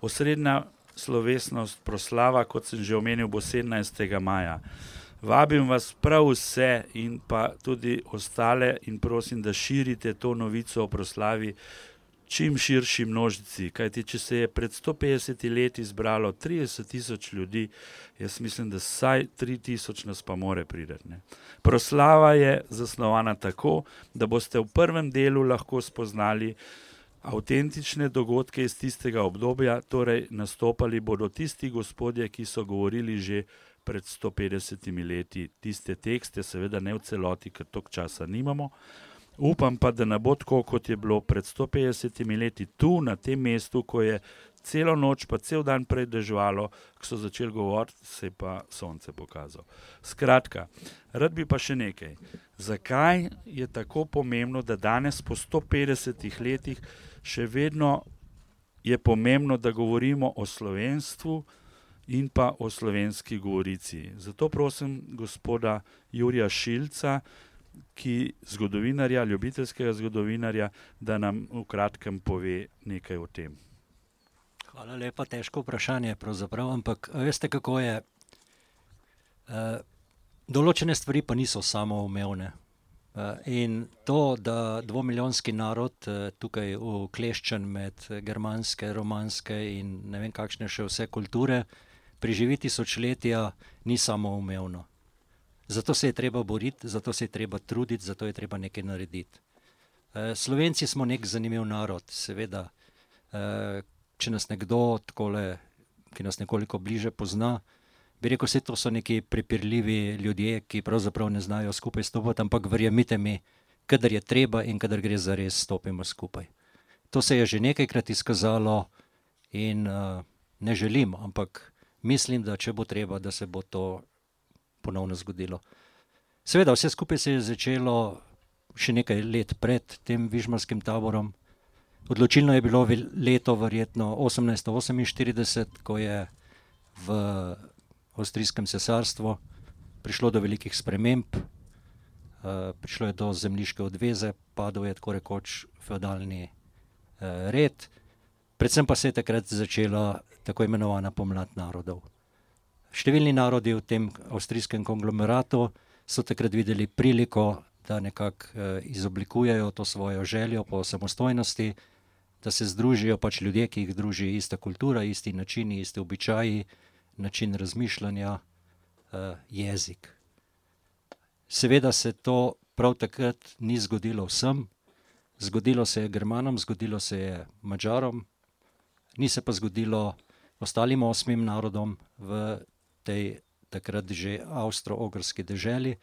Osrednja slovesnost proslava, kot sem že omenil, bo 17. maja. Vabim vas prav vse in pa tudi ostale in prosim, da širite to novico o proslavi čim širši množici, kajti če se je pred 150 leti zbralo 30.000 ljudi, jaz mislim, da vsaj 3.000 nas pa more priti. Proslava je zasnovana tako, da boste v prvem delu lahko spoznali avtentične dogodke iz tistega obdobja, torej nastopali bodo tisti gospodje, ki so govorili že pred 150 leti tiste tekste, seveda ne v celoti, ker toliko časa nimamo. Upam pa, da ne bo tako, kot je bilo pred 150 leti tu, na tem mestu, ko je celo noč pa cel dan prej deževalo, ko so začeli govoriti, se je pa sonce pokazalo. Skratka, rad bi pa še nekaj. Zakaj je tako pomembno, da danes po 150 letih še vedno je pomembno, da govorimo o slovenstvu in pa o slovenski govorici? Zato prosim gospoda Jurija Šilca, zgodovinarja, ljubiteljskega zgodovinarja, da nam v kratkem pove nekaj o tem. Hvala lepa, težko vprašanje pravzaprav, ampak veste, kako je. Določene stvari pa niso samoumevne. In to, da 2-milijonski narod tukaj ukleščen med germanske, romanske in ne vem kakšne še vse kulture preživi tisočletja, ni samoumevno. Zato se je treba boriti, zato se je treba truditi, zato je treba nekaj narediti. Slovenci smo nek zanimiv narod, seveda. Če nas nekdo takole, ki nas nekoliko bliže pozna, bi rekel, vse to so neki prepirljivi ljudje, ki pravzaprav ne znajo skupaj stopati, ampak verjemite mi, kadar je treba in kadar gre zares, stopimo skupaj. To se je že nekajkrat izkazalo in ne želim, ampak mislim, da če bo treba, da se bo to ponovno zgodilo. Seveda, vse skupaj se je začelo še nekaj let pred tem vižmarskim taborom. Odločilno je bilo leto verjetno 1848, ko je v Avstrijskem cesarstvu prišlo do velikih sprememb, prišlo je do zemljiške odveze, padel je tako rekoč feudalni red, predvsem pa se je takrat začela tako imenovana pomlad narodov. Številni narodi v tem avstrijskem konglomeratu so takrat videli priliko, da nekako izoblikujejo to svojo željo po samostojnosti, da se združijo pač ljudje, ki jih druži ista kultura, isti načini, isti običaji, način razmišljanja, jezik. Seveda se to prav takrat ni zgodilo vsem, zgodilo se je Germanom, zgodilo se je Madžarom, ni se pa zgodilo ostalim 8 narodom v tej takrat že avstro-ogrski deželi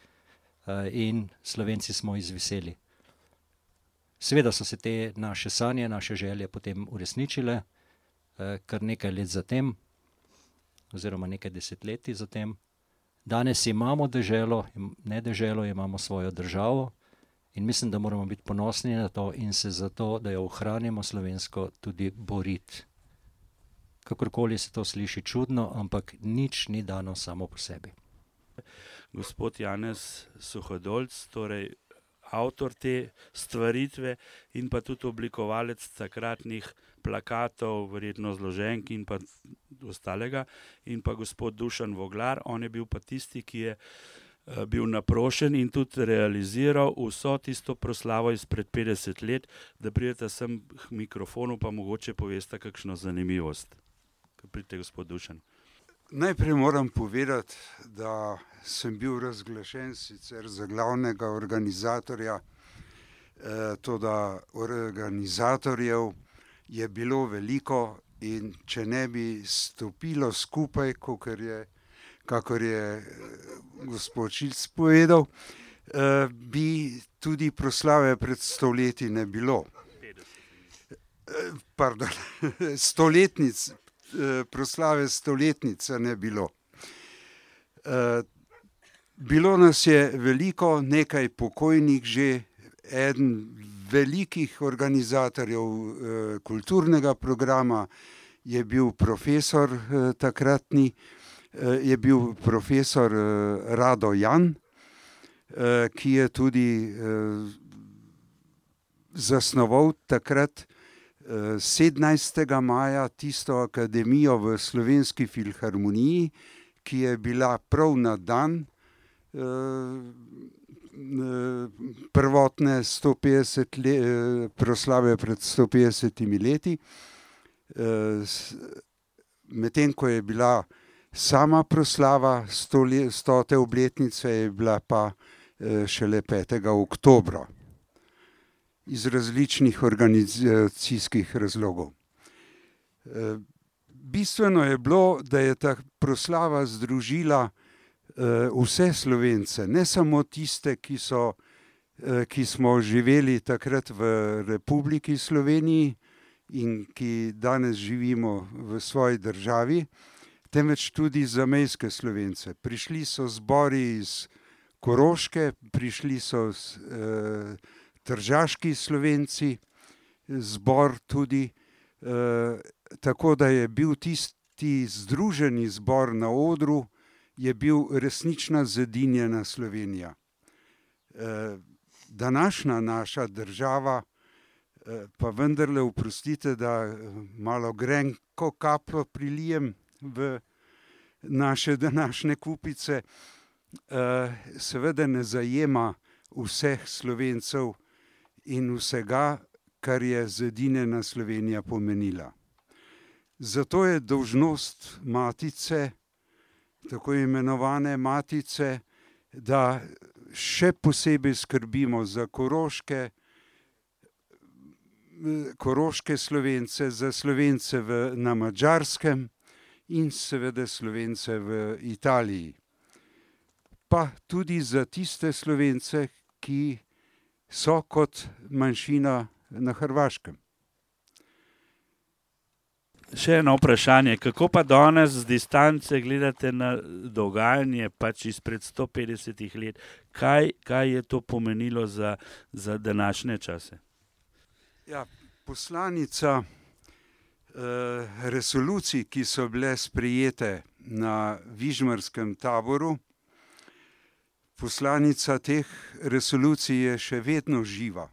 in Slovenci smo izviseli. Seveda so se te naše sanje, naše želje potem uresničile, kar nekaj let zatem, oziroma nekaj desetletij zatem. Danes imamo deželo, ne deželo, imamo svojo državo in mislim, da moramo biti ponosni na to in se za to, da jo ohranimo slovensko, tudi boriti. Kakorkoli se to sliši čudno, ampak nič ni dano samo po sebi. Gospod Janez Suhodolc, torej avtor te stvaritve in pa tudi oblikovalec takratnih plakatov, verjetno zloženk in pa ostalega, in pa gospod Dušan Voglar, on je bil pa tisti, ki je bil naprošen in tudi realiziral vso tisto proslavo izpred 50 let, da pridete sem k mikrofonu, pa mogoče poveste kakšno zanimivost. Pridite, gospod Dušan. Najprej moram povedati, da sem bil razglašen sicer za glavnega organizatorja, toda organizatorjev je bilo veliko in če ne bi stopilo skupaj, kakor je gospod Šilc povedal, bi tudi proslave pred 100 leti ne bilo. Pardon, proslave 100-letnice ne bilo. Bilo nas je veliko, nekaj pokojnih že, eden velikih organizatorjev kulturnega programa je bil profesor takratni, je bil profesor Rado Jan, ki je tudi zasnoval takrat 17. maja tisto akademijo v Slovenski filharmoniji, ki je bila prav na dan prvotne 150 proslave pred 150 leti. Medtem ko je bila sama proslava 100. obletnice, je bila pa šele 5. oktobra iz različnih organizacijskih razlogov. Bistveno je bilo, da je ta proslava združila vse Slovence, ne samo tiste, ki smo živeli takrat v Republiki Sloveniji in ki danes živimo v svoji državi, temveč tudi zamejske Slovence. Prišli so zbori iz Koroške, prišli so tržaški Slovenci, zbor tudi, tako da je bil tisti združeni zbor na odru, je bil resnična zedinjena Slovenija. Današnja naša država, pa vendarle oprostite, da malo grenko kapljo prilijem v naše današnje kupice, seveda ne zajema vseh Slovencev in vsega, kar je zedinjena Slovenija pomenila. Zato je dolžnost Matice, tako imenovane Matice, da še posebej skrbimo za koroške Slovence, za Slovence na Madžarskem in seveda Slovence v Italiji. Pa tudi za tiste Slovence, ki so kot manjšina na Hrvaškem. Še eno vprašanje, kako pa danes z distance gledate na dogajanje pač izpred 150 let? Kaj je to pomenilo za današnje čase? Ja, poslanica resolucij, ki so bile sprejete na Vižmarskem taboru, poslanica teh resolucij je še vedno živa.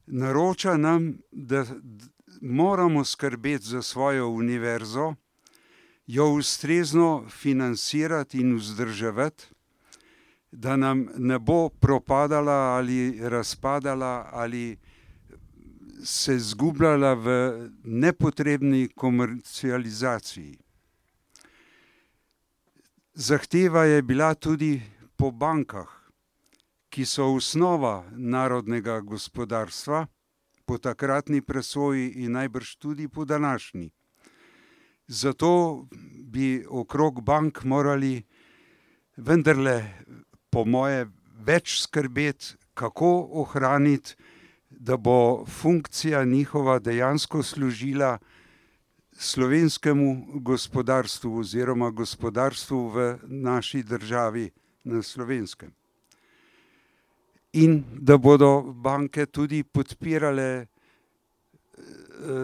Naroča nam, da moramo skrbeti za svojo univerzo, jo ustrezno financirati in vzdrževati, da nam ne bo propadala ali razpadala ali se izgubljala v nepotrebni komercializaciji. Zahteva je bila tudi po bankah, ki so osnova narodnega gospodarstva, po takratni presoji in najbrž tudi po današnji. Zato bi okrog bank morali vendarle, po moje, več skrbeti, kako ohraniti, da bo funkcija njihova dejansko služila slovenskemu gospodarstvu oziroma gospodarstvu v naši državi na Slovenskem. In da bodo banke tudi podpirale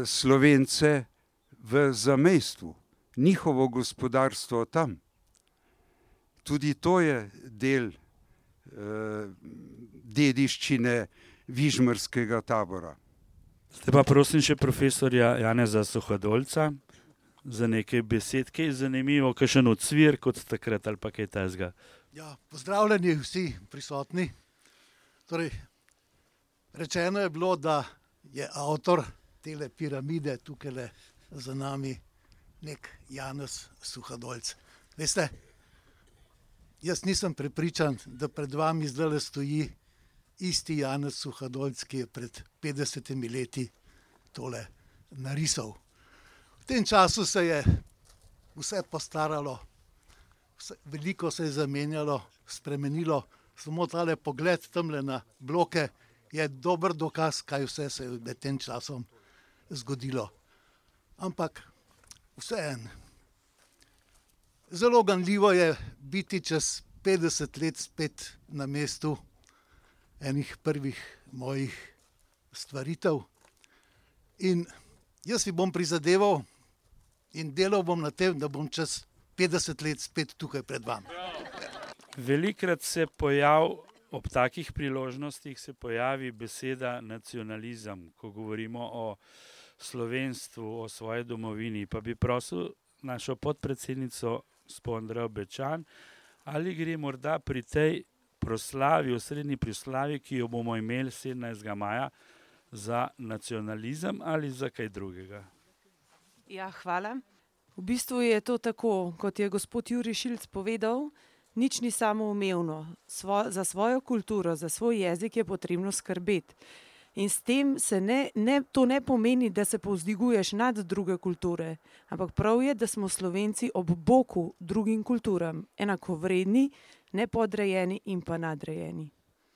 Slovence v zamejstvu, njihovo gospodarstvo tam. Tudi to je del dediščine Vižmarskega tabora. Zdaj pa prosim še profesorja Janeza Suhadolca za nekaj besed, kaj je zanimivo, kakšen odsvir kot takrat ali pa kaj takega. Ja, pozdravljeni vsi prisotni. Torej, rečeno je bilo, da je avtor tele piramide tukaj za nami nek Janez Suhadolc. Veste, jaz nisem prepričan, da pred vami zdajle stoji isti Janez Suhadolc, ki je pred 50 leti tole narisal. V tem času se je vse postaralo, veliko se je zamenjalo, spremenilo. Samo tale pogled tamle na bloke je dober dokaz, kaj vse se je med tem časom zgodilo. Ampak vseeno, zelo ganljivo je biti čez 50 let spet na mestu enih prvih mojih stvaritev. In jaz si bom prizadeval in delal bom na tem, da bom čez 50 let spet tukaj pred vami. Velikrat se pojav ob takih priložnostih se pojavi beseda nacionalizem, ko govorimo o slovenstvu, o svoji domovini. Pa bi prosil našo podpredsednico Andrejo Bečan, ali gre morda pri tej proslavi, osrednji proslavi, ki jo bomo imeli 17. maja, za nacionalizem ali za kaj drugega? Ja, hvala. V bistvu je to tako, kot je gospod Jurij Šilc povedal, nič ni samoumevno. Za svojo kulturo, za svoj jezik je potrebno skrbeti. In s tem to ne pomeni, da se povzdiguješ nad druge kulture, ampak prav je, da smo Slovenci ob boku drugim kulturam, enakovredni, nepodrejeni in pa nadrejeni.